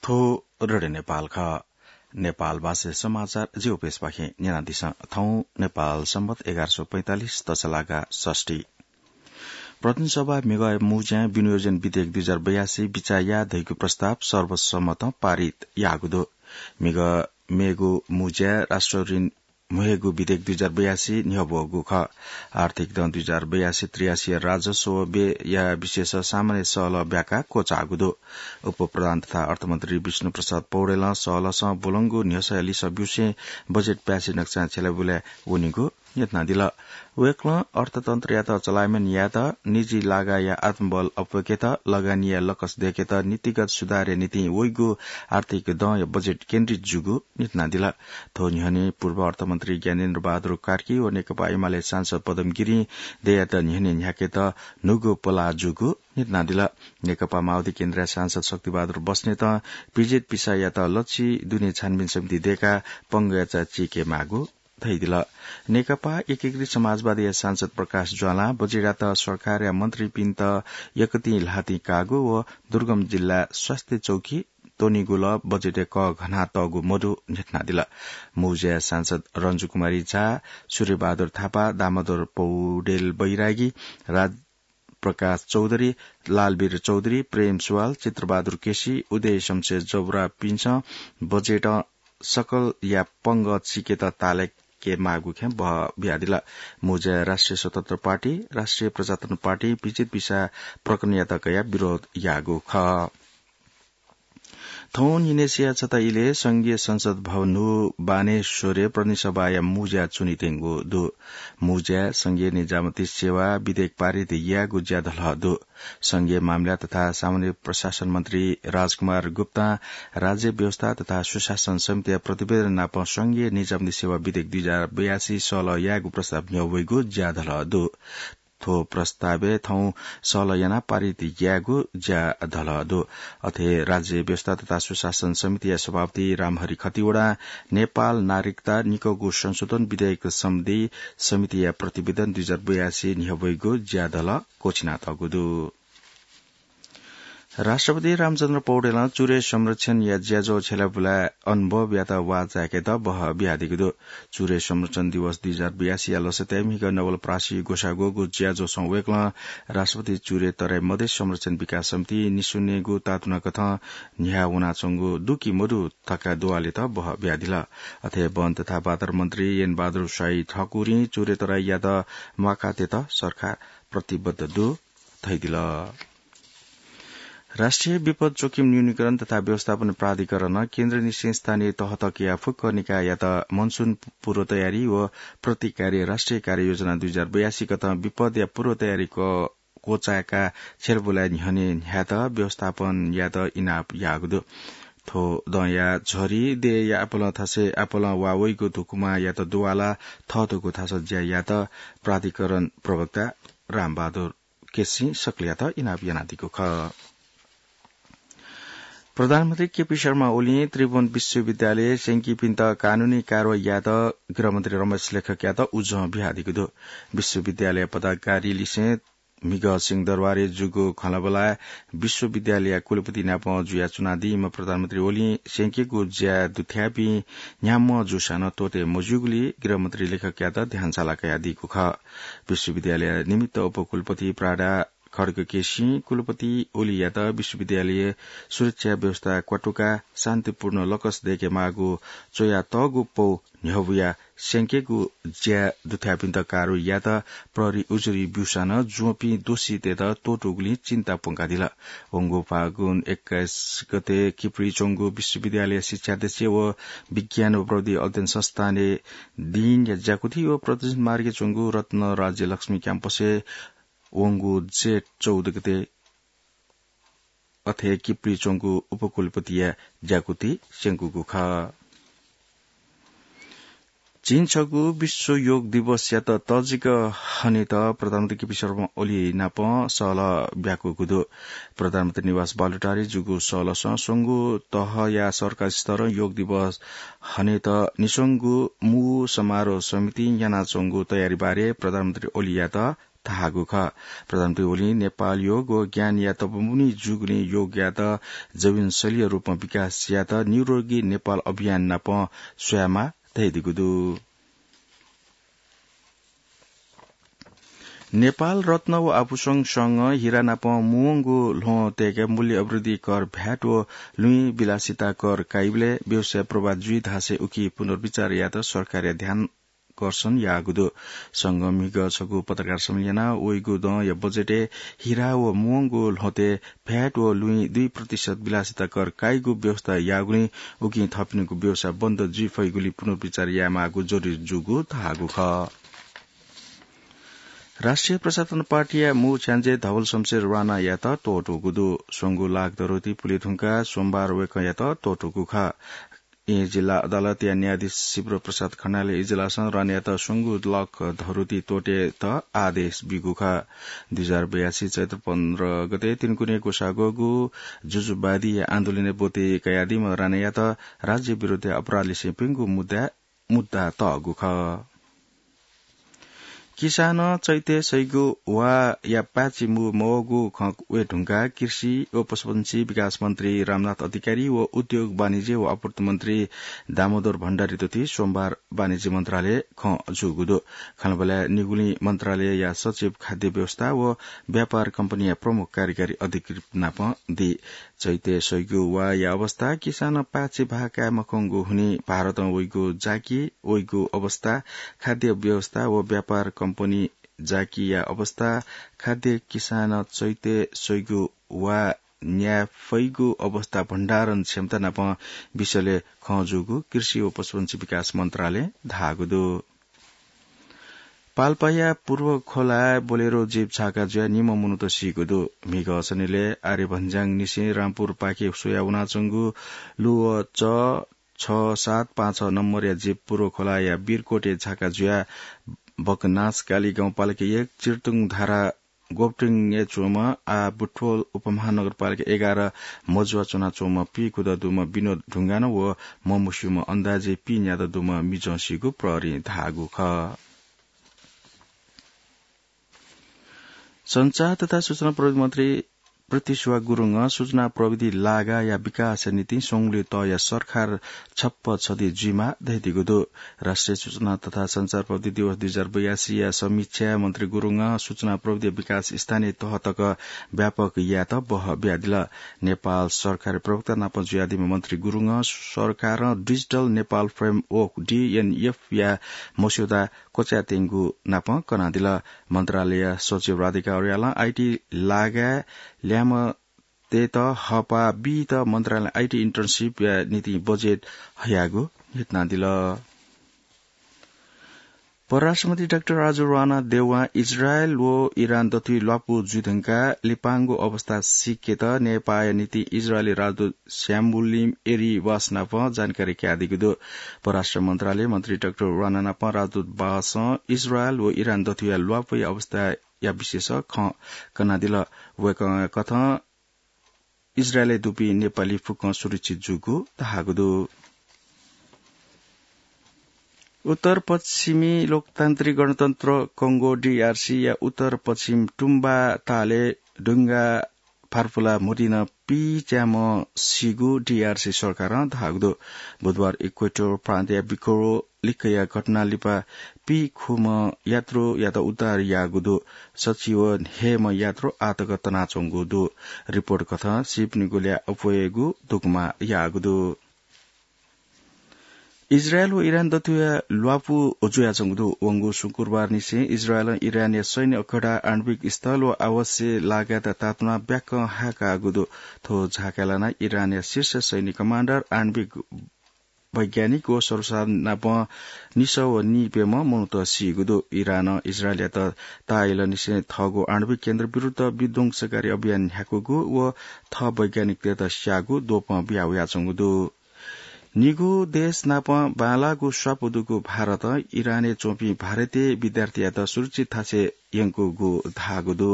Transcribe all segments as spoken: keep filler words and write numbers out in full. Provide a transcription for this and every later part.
थ्व रेडियो नेपाल खः। नेपाल भाषा समाचार ज्यू पेसपाखें न्यनादिसँ। थौं नेपाल संवत एघार सौ पैंतालिस तसलागा षष्ठी। प्रतिनिधि सभा म्हिगः मुज्यां विनियोजन विधेयक दुई हजार बयासी बिचाः याये धइगु प्रस्ताव सर्वसम्मतं पारित याःगु दु। म्हिगः मेगु मुज्यां राष्ट्र ऋण म्हेगु विधेयक दुई हजार बयासी न्ह्यब्वःगु खः। आर्थिक दँ दुई हजार बयासी त्रियासी राजस्व व्ययया विषयस सामान्य सहलह ब्याकाः क्वचाःगु दु। उपप्रधान तथा अर्थमन्त्री विष्णु प्रसाद पौडेलं सहलहसं ब्वलंगु न्ह्यसःया लिसः ब्यूसें बजेट प्यासे नकचां छ्यलाबुलाय् वनीगु न्ह्यथनादिल। वय्कलं अर्थतन्त्रयात चलायमान यायेत निजी लागाया आत्मबल अप्वय्केत, लगानीया लकस दय्केत, नीतिगत सुधारया निंतिं वइगु आर्थिक दँया बजेट केन्द्रित जूगु न्ह्यथनादिल। थ्व न्ह्यःने पूर्व अर्थमन्त्री ज्ञानेन्द्र बहादुर कार्की व नेकपा एमाले सांसद पदम गिरिं दँयात न्ह्यःने न्ह्याकेत न्हूगु पलाः जूगु न्ह्यथनादिल। नेकपा माओवादी केन्द्रया सांसद शक्तिबहादुर बस्नेतं पीजेड पिसायात लच्छि दुने छानबिन समिति दय्काः पंगःया चा चीके माःगु धयादिल। नेकपा एकीकृत समाजवादीया सांसद प्रकाश ज्वालां बजेटयात सरकारया मन्त्रीपिन्त यक्वतिं ल्हातिं काःगु व दुर्गम जिल्लाय् स्वास्थ्य चौकी त्वनीगु ला बजेटय् कःघानातःगु मदु न्ह्यथनादिल। मुज्यां सांसद रन्जु कुमारी झा, सूर्यबहादुर थापा, दामोदर पौडेल बैरागी, राज प्रकाश चौधरी, लालवीर चौधरी, प्रेम सुवाल, चित्रबहादुर केसी, उदय शमशेर जबरापिन्सं बजेटं सकलया पंगः चीकेत ताःलाके माःगु खँय् बहः बियादिल। मुज्यां राष्ट्रिय स्वतन्त्र पार्टी, राष्ट्रिय प्रजातन्त्र पार्टी पीजेड पिसा प्रकरणयात कयाः विरोध याःगु खः। थौं न्हिनय्सिया छता इलय् संघीय संसद भवन न्हू बानेश्वरय् प्रतिनिधि सभाया मुज्या च्वनीत्यंगु दु। मुज्याय् संघीय निजामती सेवा विधेयक पारित यायेगु ज्या धलः दु। संघीय मामिला तथा सामान्य प्रशासन मन्त्री राजकुमार गुप्तां राज्य व्यवस्था तथा सुशासन समितिया प्रतिवेदन नाप संघीय निजामती सेवा विधेयक दुई हजार बयासी सहलह यायेगु प्रस्ताव न्ह्यब्वइगु ज्या धलः दु। थ्व प्रस्तावय् थौं सहलह यानाः पारित यायेगु ज्या धलः दु। अथे राज्य व्यवस्था तथा सुशासन समितिया सभापति रामहरि खतिवडां नेपाल नागरिकता निकःगु संशोधन विधेयक सम्बन्धी समितिया प्रतिवेदन दुई हजार बयासी न्ह्यब्वइगु ज्या धलः क्वछिनातःगु दु। राष्ट्रपति रामचन्द्र पौडेलं चुरे संरक्षणया ज्याझ्वः छ्यलाबुलाय् अनुभवयात वाः चाय्केत बहः बियादीगु दु। चुरे संरक्षण दिवस दुई हजार बयासीया लसताय् म्हिगः नवलपरासी ग्वसाः ग्वःगु ज्याझ्वलय् वय्कलं राष्ट्रपति चुरे तराई मधेस संरक्षण विकास समिति निस्वनेगु तातुनाकथं न्ह्याः वनाच्वंगु दु कि मदु धकाः दुवालेत बहः बियादिल। अथे वन तथा वातावरण मन्त्री एन बहादुर शाही ठाकुरं चुरे तराईयात म्वाकाः तयेत सरकार प्रतिबद्ध दु धयादिल। राष्ट्रिय विपद जोखिम न्यूनीकरण तथा व्यवस्थापन प्राधिकरणं केन्द्रनिसें स्थानीय तह तकया फुक्क निकाययात मनसुन पूर्व तयारी व प्रतिकारी राष्ट्रिय कार्ययोजना दुई हजार बयासी कथं विपदया पूर्व तयारी क-, क्वचाय्काः छ्यलाबुलाय् न्ह्यःने न्ह्यायेत व्यवस्थापन यायेत इनाप याःगु दु। थ्व दँया झरी देय्‌या आपालं थासय् आपालं वा वइगु धुकुमायात दुवालाः थःथःगु थासय् ज्या यायेत प्राधिकरण प्रवक्ता रामबहादुर केसीं सकलयात इनाप यानादीगु खः। प्रधानमन्त्री केपी शर्मा ओलीं त्रिभुवन विश्वविद्यालय स्यंकीपिन्त कानूनी कारवाही यायेत गृहमन्त्री रमेश लेखकयात उजं बियादीगु दु। विश्वविद्यालय पदाधिकारी लिसें म्हिगः सिंहदरबारय् जूगु खँल्हाबल्हाय् विश्वविद्यालयया कुलपति नाप जुयाच्वनादीम्ह प्रधानमन्त्री ओलीं स्यंकेगु ज्याय् दुथ्याःपिं न्ह्याम्ह जूसां नं त्वःते मज्यूगुलिं गृहमन्त्री लेखकयात ध्यानसाला कयादीगु खः। विश्वविद्यालय निमित्त उपकुलपति प्राडा खड्गकेसीं कुलपति ओलीयात विश्वविद्यालय सुरक्षा व्यवस्था क्वातुकाः शान्तिपूर्ण लकस दय्केमाःगु च्वयातःगु पौ न्ह्यब्वयाः स्यंकेगु ज्याय् दुथ्याःपिन्त कारवाही यायेत प्रहरी उजुरी ब्यूसां नं ज्वंपिं दोषीतय्त त्वःतूगुलिं चिन्ता प्वंकादिल। वंगु फागुन एक्काइस गते किप्री च्वंगु विश्वविद्यालय शिक्षाध्यक्ष व विज्ञान व प्रविधि अध्ययन संस्थानय् दिनया ज्याकुथि व प्रदर्शन मार्गय् च्वंगु रत्न राज्य लक्ष्मी क्याम्पसय् वंगु जेठ चौध गते अथे किप्री च्वंगु उपकुलपतिया ज्याकुथि स्यंकूगु खः। झिंछगू विश्व योग दिवसयात तःजिक हनेत प्रधानमन्त्री केपी शर्मा ओली नाप सहलह ब्याकूगु दु। प्रधानमन्त्री निवास बालुटारय् जूगु सहलहसं स्वंगू तहया सरकारी स्तरं योग दिवस हनेत निस्वंगु मू समारोह समितिं यानाच्वंगु तयारी बारे प्रधानमन्त्री ओलीयात धाःगु खः। प्रधानमन्त्री ओलीं नेपाल योग व ज्ञानया तपोभूमि जूगुलिं योगयात जीवनशैलीया रूपमा विकास यायेत निरोगी नेपाल अभियान नाप स्वयेमाः धयादीगु दु। नेपाल रत्न व आभूषण संघं हिरा नाप मुंवंगु ल्ह्वं तय्‌के मूल्य अभिवृद्धि कर, भ्याट व लुँहि विलासिता कर काइबलय् व्यवसाय प्रभावित जुइ धासें उकी पुनर्विचार यायेत सरकारया ध्यान कर्षण याःगु दु। संघं म्हिगः छगू पत्रकार सम्मेलन यानाः वइगु दँया बजेटय् हिरा व मुंवंगु ल्ह्वतय् भ्याट व लुँहि दुई प्रतिशत विलासिता कर काइगु व्यवस्था याःगुलिं उकिं थःपिनिगु व्यवसाय बन्द जुइ फइगुलिं पुनर्विचार यायेमाःगु जरुरी जूगु धाःगु खः। राष्ट्रिय प्रजातन्त्र पार्टीया मू छ्याञ्जे धवल शमशेर राणायात त्वःतूगु दु। स्वंगू लाख धरोती पुले धुंकाः सोमबार वय्‌कःयात त्वःतूगु खः। येँ जिल्ला अदालतया न्यायाधीश शिवप्रसाद खनालया इजलासं राणायात स्वंगू लाख धरोती त्वःतेत आदेश ब्यूगु खः। दुई हजार बयासी चैत्र पन्ध्र गते तिनकुने ग्वसाः ग्वःगु जुजुवादी आन्दोलनय् ब्वति कयादीम्ह राणायात राज्य विरोधी अपराध लिसें प्यंगू मुद्दा, मुद्दा तःगु खः। किसानं चैते सइगु वाया पाय्‌छि मू मवःगु खँ वये धुंकाः कृषि व पशुपन्छी विकास मन्त्री रामनाथ अधिकारी व उद्योग, वाणिज्य व आपूर्ति मन्त्री दामोदर भण्डारी तुति सोमबार वाणिज्य मन्त्रालय खँ जूगु दु। खँल्हाबल्हाय् निगुलिं मन्त्रालयया सचिव, खाद्य व्यवस्था व व्यापार कम्पनीया प्रमुख कार्यकारी अधिकृत नाप दी। चैते सइगु वाया अवस्था, किसानं पाय्‌छि भाः काये मखंगु हुनिं भारतं वइगु जाकि, वइगु अवस्था, खाद्य व्यवस्था व व्यापार कम्पनी जाकिया अवस्था, खाद्य किसानं चैते सइगु वा न्याये फइगु अवस्था, भण्डारण क्षमता नाप विषयलय् खँ जूगु कृषि व पशुपन्छी विकास मन्त्रालयं धाःगु दु। पाल्पाया पूर्व खोलाय् बोलेरो जीप झाका जुयाः निम्ह मनूत सीगु दु। म्हिगः सनिलय् आर्यभञ्ज्याङ निसें रामपुरपाखे स्वयाः वनाच्वंगु लुव च छ सात पाँच छ नम्बरया जीप पूर्व खोलाया वीरकोटय् झाका जुयाः बकनासकाली गाउँपालिका एक चिर्तुङ धारा गोपटिङय् च्वंम्ह आः बुटवल उपमहानगरपालिका एघार मजुवा च्वनाच्वंम्ह पीखुदँ दुम्ह विनोद ढुङ्गानं व ममुस्यूम्ह अन्दाजी पीन्यादँ दुम्ह मिजं सीगु प्रहरीं धाःगु खः। सञ्चार तथा सूचना प्रविधि मन्त्री पृथ्वीसुवास गुरुङं सूचना प्रविधि लागाया विकासया निंतिं स्वंगुलिं तःया सरकार छप्पँ छधी जुइमाः धयादीगु दु। राष्ट्रिय सूचना तथा सञ्चार प्रविधि दिवस दुई हजार बयासीया समीक्षाय् मन्त्री गुरुङं सूचना प्रविधि विकास स्थानीय तह तक व्यापक यायेत बहः बियादिल। नेपाल सरकार प्रवक्ता नाप जुयादीम्ह मन्त्री गुरुङं सरकारं डिजिटल नेपाल फ्रेमवर्क, डिएनएफ या मस्यौदा क्वचायेत्यंगु नाप कनादिल। मन्त्रालय सचिव राधिका अर्यालं आईटी लागाय् ल्याय्म्हतय्त हःपाः बीत मन्त्रालयं आईटी इन्टर्नसिपया निंतिं बजेट हयागु न्ह्यथनादिल। परराष्ट्रमन्त्री डाक्टर राजु राणा देउवां इजरायल व इरान दथुइ ल्वापु जुइधुंकाः लिपांगु अवस्था सीकेत नेपाःया निंतिं इजरायली राजदूत स्याम्बुलिम एरी वास नाप जानकारी कयादीगु दु। परराष्ट्र मन्त्रालय मन्त्री डाक्टर राणा नाप राजदूत वासं इजरायल व इरान दथुया ल्वापुया अवस्थाया विषयस खँ कनादिल। वय्कःया कथं इजरायलय् दुपिं नेपाली फुक्कं सुरक्षित जूगु धाःगु दु। उत्तर पश्चिमी लोकतान्त्रिक गणतन्त्र कंगो, डीआरसी या उत्तर पश्चिम तुम्बा तालय् डुंगा फार्पुला म्हुतिनं पीच्याम्ह सीगु डीआरसी सरकारं धाःगु दु। बुधबार इक्वेटर प्रान्तया बिकोरो लिक्कया घटना लिपा पीखुम्ह यात्रुयात उद्धार याःगु दु। सच्छि व हय्म्ह यात्रु आःतक तनाच्वंगु दु। रिपोर्ट कथं सीपिनिगु ल्याः अप्वयेगु दुकमा याःगु दु। इजरायल व इरान दथुया ल्वापु जुयाच्वंगु दु। वंगु शुक्रबारनिसें इजरायलं इरानया सैन्य अखडा, आणविक स्थल व आवासीय लागाय्त तातुनाः ब्याकं हाय्काःगु दु। थ्व झाकाय् लानाः इरानया शीर्ष सैन्य कमाण्डर, आणविक वैज्ञानिक व सर्वसाधारण नाप निसः व निप्यम्ह मनूत सीगु दु। इरानं इजरायलयात ताःहिलंनिसें थःगु आणविक केन्द्र विरुद्ध विध्वंसकारी अभियान न्ह्याकूगु व थः वैज्ञानिकतय्त स्याःगु द्वपं बिया वयाच्वंगु दु। निगू देश नाप बांलाःगु स्वापू दुगु भारतं इरानय् च्वंपिं भारतीय विद्यार्थीयात सुरक्षित थासय् यंकूगु धाःगु दु।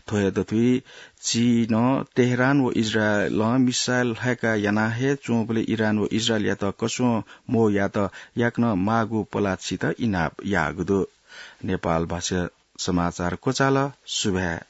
थ्वया दथुइ चीनं तेहरान व इजरायलं मिसाइल ह्वाय्का याना हे च्वंबलय् इरान व इजरायलयात कसुं मवयात याकनं माःगु पलाः छित इनाप याःगु दु। नेपाल भाषा समाचार क्वचाल। सुभाय्।